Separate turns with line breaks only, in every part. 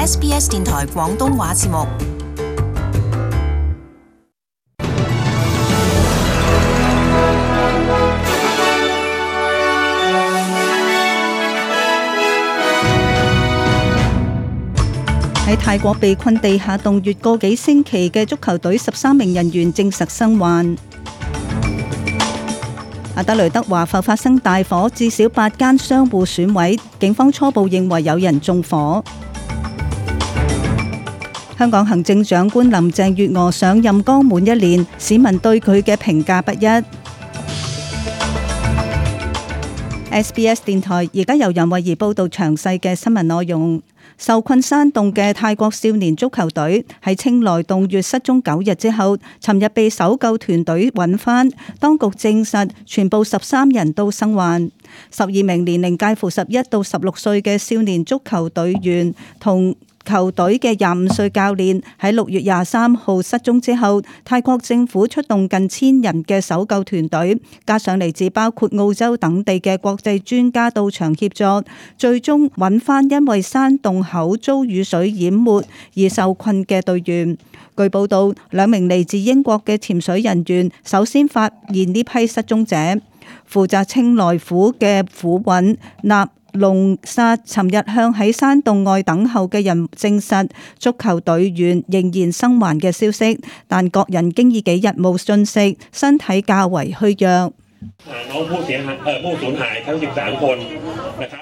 SBS 電台廣東話節目。
喺泰國被困地下洞穴個幾星期嘅足球隊13名人員證實生還。阿德雷德華埠發生大火，至少8間商戶損毀，警方初步認為有人縱火。香港行政長官林鄭月娥上任剛滿1年，市民對佢嘅評價不一。SBS 電台而家由任慧儀報道詳細嘅新聞內容。受困山洞嘅泰國少年足球隊喺清萊洞穴失蹤9日之後，尋日被搜救團隊揾返，當局證實全部13人都生還。12名年齡介乎11到16歲嘅少年足球隊員同球隊嘅25歲教練喺6月23號失蹤之後，泰國政府出動近1000人嘅搜救團隊，加上嚟自包括澳洲等地嘅國際專家到場協助，最終揾翻因為山洞口遭雨水淹沒而受困嘅隊員。據報道，2名嚟自英國嘅潛水人員首先發現呢批失蹤者，負責清萊府嘅府尹納龍薩尋日向喺山洞外等候嘅人證實足球隊員仍然生還嘅消息，但各人經已幾日冇進食，身體較為虛弱。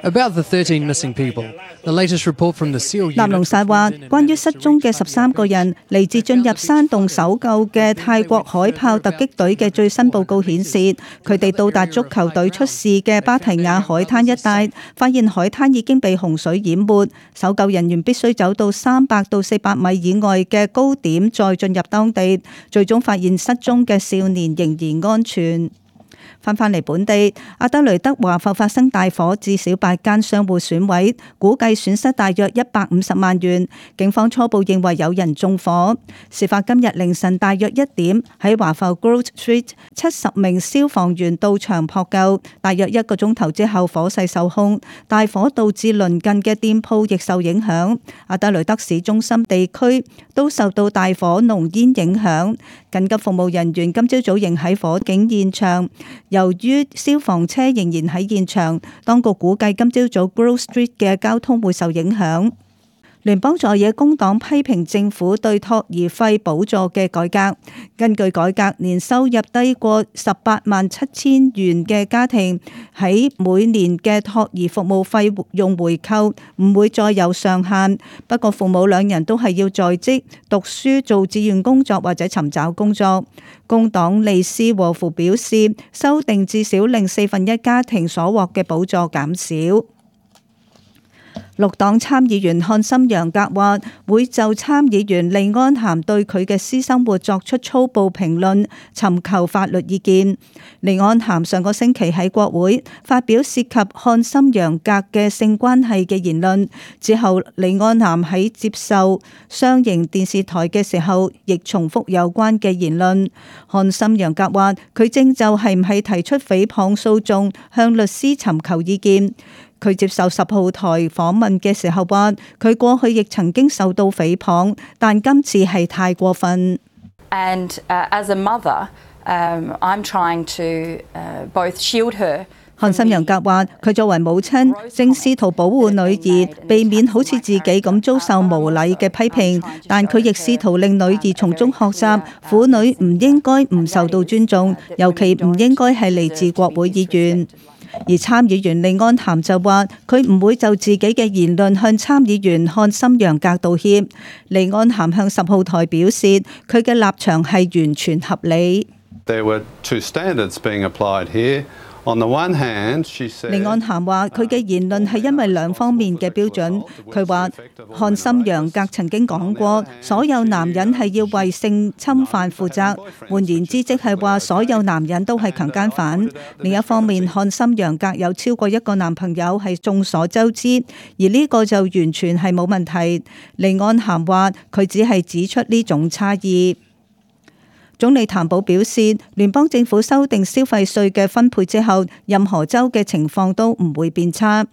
About the 13 missing people, the latest report from the SEAL unit.
納龍薩話，關於失蹤嘅13個人嚟自進入山洞搜救嘅泰國海豹突擊隊嘅最新報告顯示，佢哋到達足球隊出事嘅芭提雅海灘一帶，發現海灘已經被洪水淹沒，搜救人員必須走到300到400米以外嘅高點再進入當地，最終發現失蹤嘅少年仍然安全。翻嚟本地，阿德雷德華埠發生大火，至少8間商戶損毀，估計損失大約150萬元。警方初步認為有人縱火。事發今日凌晨大約1點，喺華埠 Grove Street，70名消防員到場撲救，大約1個鐘頭之後火勢受控，大火導致鄰近嘅店鋪亦受影響。阿德雷德市中心地區都受到大火濃煙影響，緊急服務人員今朝早仍喺火警現場。由於消防車仍然喺現場，當局估計今朝早 Grove Street 嘅交通會受影響。聯邦在野工黨批評政府對托兒費補助嘅改革。根據改革，年收入低過187000元嘅家庭喺每年嘅托兒服務費用回扣唔會再有上限。不過父母2人都係要在職讀書、做志願工作或者尋找工作。工黨利斯和夫表示，修訂至少令1/4家庭所獲嘅補助減少。綠黨參議員漢森楊格話會就參議員利安咸對佢嘅私生活作出粗暴評論，尋求法律意見。利安咸上個星期喺國會發表涉及漢森楊格嘅性關係嘅言論之後，利安咸喺接受商營電視台嘅時候，亦重複有關嘅言論。漢森楊格話佢正就係唔係提出誹謗訴訟，向律師尋求意見。佢接受10號台訪問嘅時候話，佢過去亦曾經受到誹謗，但今次係太過分。
And as a mother, I'm trying to both shield her.
漢森楊格話，佢作為母親，正試圖保護女兒，避免好似自己咁遭受無禮嘅批評，但佢亦試圖令女兒從中學習，婦女唔應該唔受到尊重，尤其唔應該係嚟自國會議員。而參議員利安咸就話，佢唔會就自己嘅言論向參議員漢森楊格道歉。利安咸向10號台表示，佢嘅立場係完全合理。
There were two standards being applied here. On the one hand, she said,
利安咸話佢嘅言論係因為2方面嘅標準。佢話漢森楊格曾經講過，所有男人係要為性侵犯負責，換言之，即係話所有男人都係強姦犯。另一方面，漢森楊格有超過1個男朋友係眾所周知，而呢個就完全係冇問題。利安咸話佢只係指出呢種差異。總理譚寶表示，聯邦政府修訂消費稅嘅分配之後，任何州嘅情況都唔會變差。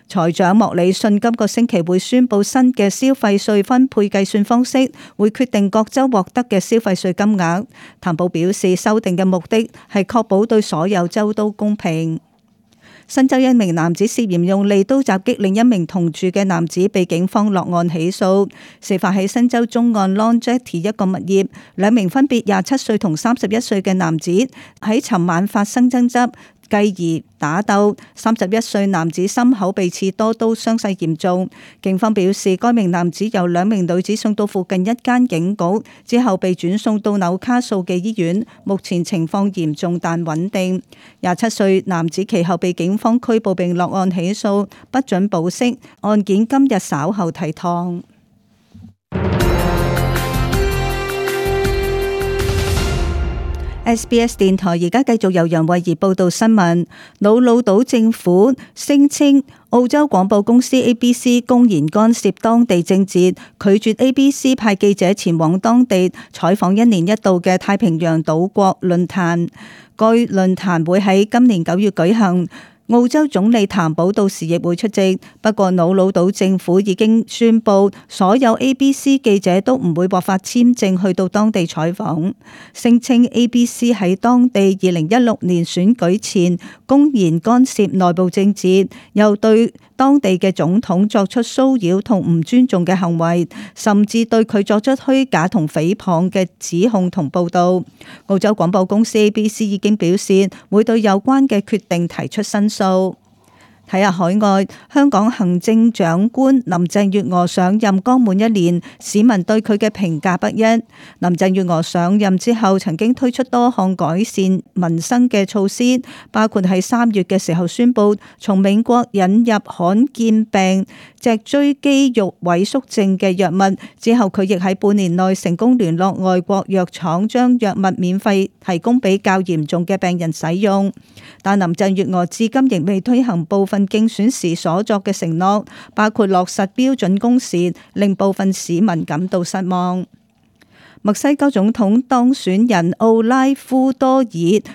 財長莫里遜今個星期會宣布新嘅消費稅分配計算方式，會決定各州獲得嘅消費稅金額。譚寶表示，修訂嘅目的係確保對所有州都公平。新州一名男子涉嫌用利刀襲擊另一名同住嘅男子，被警方落案起訴。事發喺新州中岸 Long Jetty 一個物業，兩名分別27歲同31歲嘅男子喺尋晚發生爭執，繼而打鬥。31歲男子心口被刺多刀，傷勢嚴重。警方表示，該名男子由兩名女子送到附近一間警局，之後被轉送到紐卡素嘅醫院，目前情況嚴重但穩定。27歲男子其後被警方拘捕並落案起訴，不准保釋。案件今日稍後提堂。SBS 電台而家繼續由楊慧儀報道新聞。瑙魯島政府聲稱澳洲廣播公司 ABC 公然干涉當地政治，拒絕 ABC 派記者前往當地採訪一年一度嘅太平洋島國論壇。該論壇會喺今年9月舉行。澳洲總理譚寶到時亦會出席，不過瑙魯島政府已經宣布，所有 ABC 記者都唔會獲發簽證去到當地採訪，聲稱 ABC 喺當地2016年選舉前公然干涉內部政治，又對當地嘅總統作出騷擾同唔尊重嘅行為，甚至對佢作出虛假同誹謗嘅指控同報導。澳洲廣播公司 ABC 已經表示會對有關嘅決定提出申訴。睇下海外，香港行政長官林鄭月娥上任剛滿一年，市民對佢嘅評價不一。林鄭月娥上任之後，曾經推出多項改善民生嘅措施，包括喺3月嘅時候宣布從美國引入罕見病脊椎肌肉萎縮症嘅藥物，之後佢亦喺半年內成功聯絡外國藥廠，將藥物免費提供俾較嚴重嘅病人使用。但林鄭月娥至今仍未推行部分競選時所作嘅承諾，包括落實標準工時，令部分市民感到失望。墨西哥總統當選人奧拉夫多爾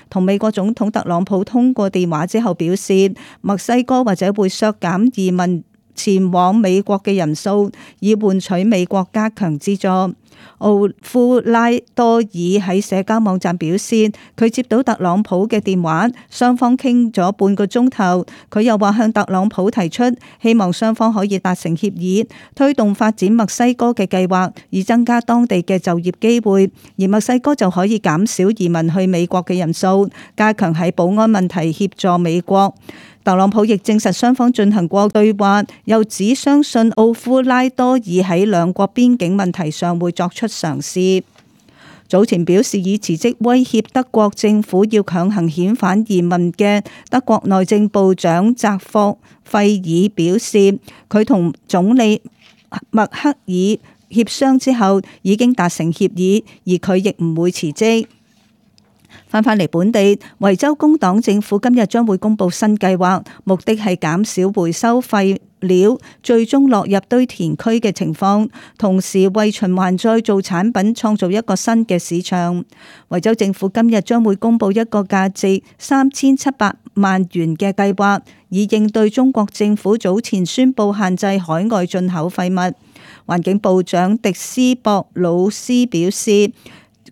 同美國總統特朗普通過電話之後表示，墨西哥或者會削減移民前往美國嘅人數，以換取美國加強資助。奧夫拉多爾喺社交網站表示，佢接到特朗普嘅電話，雙方傾咗半個鐘頭。佢又話向特朗普提出，希望雙方可以達成協議，推動發展墨西哥嘅計劃，以增加當地嘅就業機會，而墨西哥就可以減少移民去美國嘅人數，加強喺保安問題協助美國。特朗普亦證實雙方進行過對話，又指相信奧夫拉多爾喺兩國邊境問題上會作出嘗試。早前表示以辭職威脅德國政府要強行遣返移民嘅德國內政部長澤霍費爾表示，佢同總理默克爾協商之後已經達成協議，而佢亦唔會辭職。翻返嚟本地，維州工黨政府今日將會公布新計劃，目的係減少回收廢料最終落入堆填區嘅情況，同時為循環再造產品創造一個新嘅市場。維州政府今日將會公布一個價值3700萬元嘅計劃，以應對中國政府早前宣布限制海外進口廢物。環境部長迪斯博魯斯表示，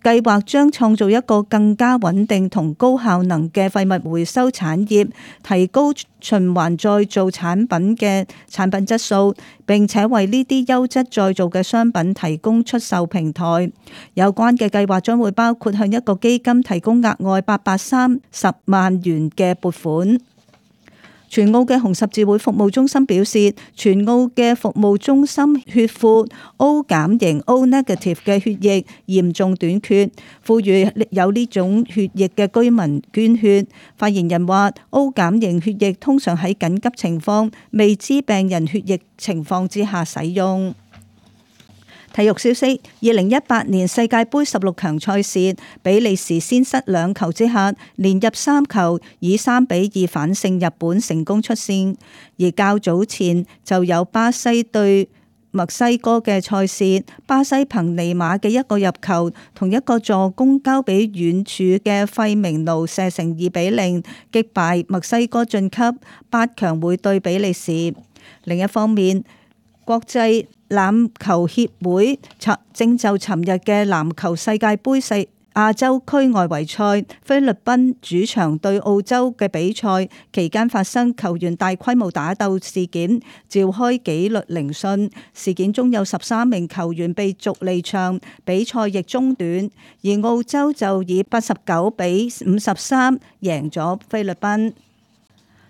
計劃將創造一個更加穩定同高效能嘅廢物回收產業，提高循環再造產品嘅產品質素，並且為呢啲優質再造嘅商品提供出售平台。有關嘅計劃將會包括向一個基金提供額外830萬元嘅撥款。全澳嘅紅十字會服務中心表示，全澳嘅服務中心血庫 O 減型 O negative 嘅血液嚴重短缺，呼籲有呢種血液嘅居民捐血。發言人話 O 減型血液通常喺緊急情況、未知病人血液情況之下使用。體育消息：2018年世界盃16強賽事，比利時先失2球之下，連入3球，以3-2反勝日本，成功出線。而較早前就有巴西對墨西哥嘅賽事，巴西憑尼馬嘅一個入球同一個助攻交俾遠處嘅費明奴射成2-0，擊敗墨西哥晉級8強會對比利時。另一方面，國際欖球協會正就尋日嘅籃球世界盃亞洲區外圍賽菲律賓主場對澳洲嘅比賽期間發生球員大規模打鬥事件，召開紀律聆訊。事件中有13名球員被逐離場，比賽亦中斷，而澳洲就以89-53贏咗菲律賓。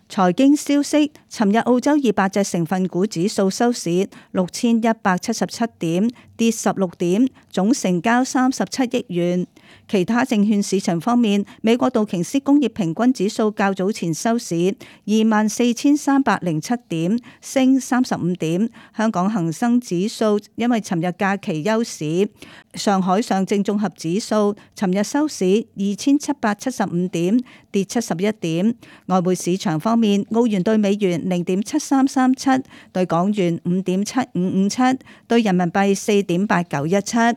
財經消息，尋日澳洲200隻成分股指數收市6177點，跌16點，總成交37億元。其他證券市場方面，美國道瓊斯工業平均指數較早前收市24,307點，升35點。香港恒生指數因為尋日假期休市。上海上證綜合指數尋日收市2775點，跌71點。外匯市場方面，澳元對美元0.7337，對港元5.7557，對人民幣4.8917。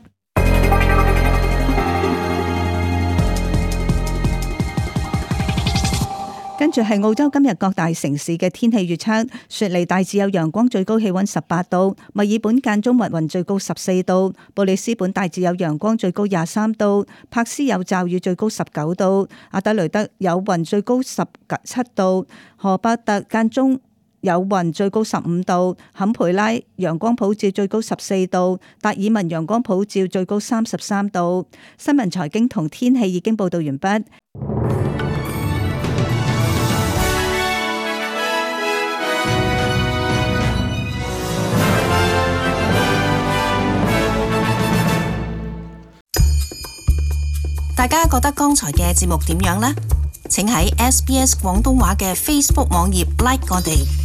跟住係澳洲今日各大城市嘅天氣預測：雪梨大致有陽光，最高氣溫18度；墨爾本間中密雲，最高14度；布里斯本大致有陽光，最高23度；柏斯有驟雨，最高19度；阿德雷德有雲，最高17度；荷伯特間中有雲，最高15度；坎培拉陽光普照，最高14度；達爾文陽光普照，最高33度。新聞財經同天氣已經報道完畢。
大家覺得剛才嘅節目點樣呢？請喺SBS 廣東話嘅 Facebook 網頁 like 我哋。